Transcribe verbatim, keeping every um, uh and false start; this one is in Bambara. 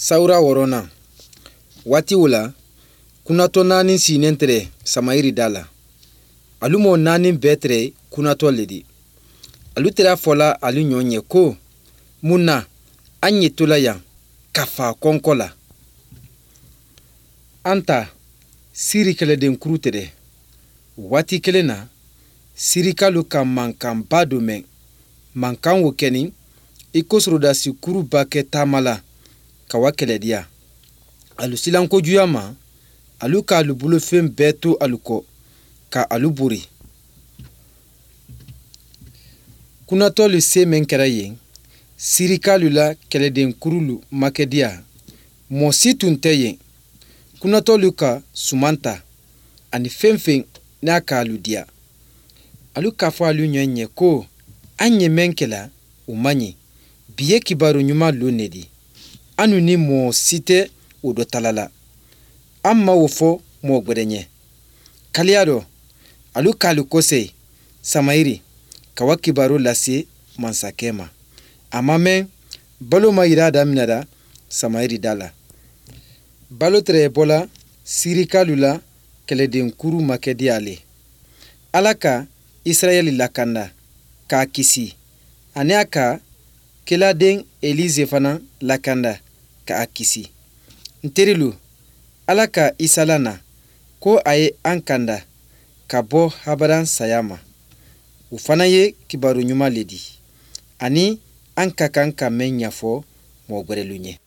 Sawura wɔɔrɔnan waati o la, kunatɔ naani sinnen tɛrɛ Samayiri da la. Alu mɔɔ naani bɛɛ tɛrɛ kunatɔ le di. Alu tɛrɛ fɔla alu ɲɔ ɲɛ ko, mun na an ye tola yan ka fa kɔnkɔ la? An ta Siri kɛlɛdenkuru tɛrɛ. Waati kelen na, Sirikalu ka mankanba dɔ mɛn. Mankan wo kɛni i ko sɔrɔdasikuruba kɛ taama la ka wa kɛlɛdiya. Alu silan kojuya ma, alu k'alu bolofɛn bɛɛ to alu kɔ ka alu bori. Kunatɔlu se min kɛra yen, Sirikalu la kɛlɛdenkurulu makɛdiya, mɔɔ si tun tɛ yen. Kunatɔlu ka suman ta ani fɛn fɛn n'a k'alu diya. Alu k'a fɔ alu ɲɔ ɲɛ ko an ye mɛn kɛla o man ɲi. Bi ye kibaru ɲuman lon ne di. Anu ni mɔɔ si tɛ o dɔ tala la. An ma o fɔ mɔɔ gwɛrɛ ɲɛ. Kaliya dɔ, alu k'alu kɔsɛyi Samayiri ka wa kibaru lase mansakɛ ma. A ma mɛn, balo ma yira daminɛra Samayiri da la. Balo tɛrɛ bɔla Sirikalu la kɛlɛdenkuru makɛdiya le. Ala ka Israɛli lakanda k'a kisi ani a ka keladen Elize fana lakanda k'a kisi. N terilu, Ala ka Isa lana ko a ye an kanda ka bɔ habaran saya ma. O fana ye kibaru ɲuman le di ani an ka kan ka mɛn ɲɛfɔ mɔgɔ gwɛrɛlu ɲɛ.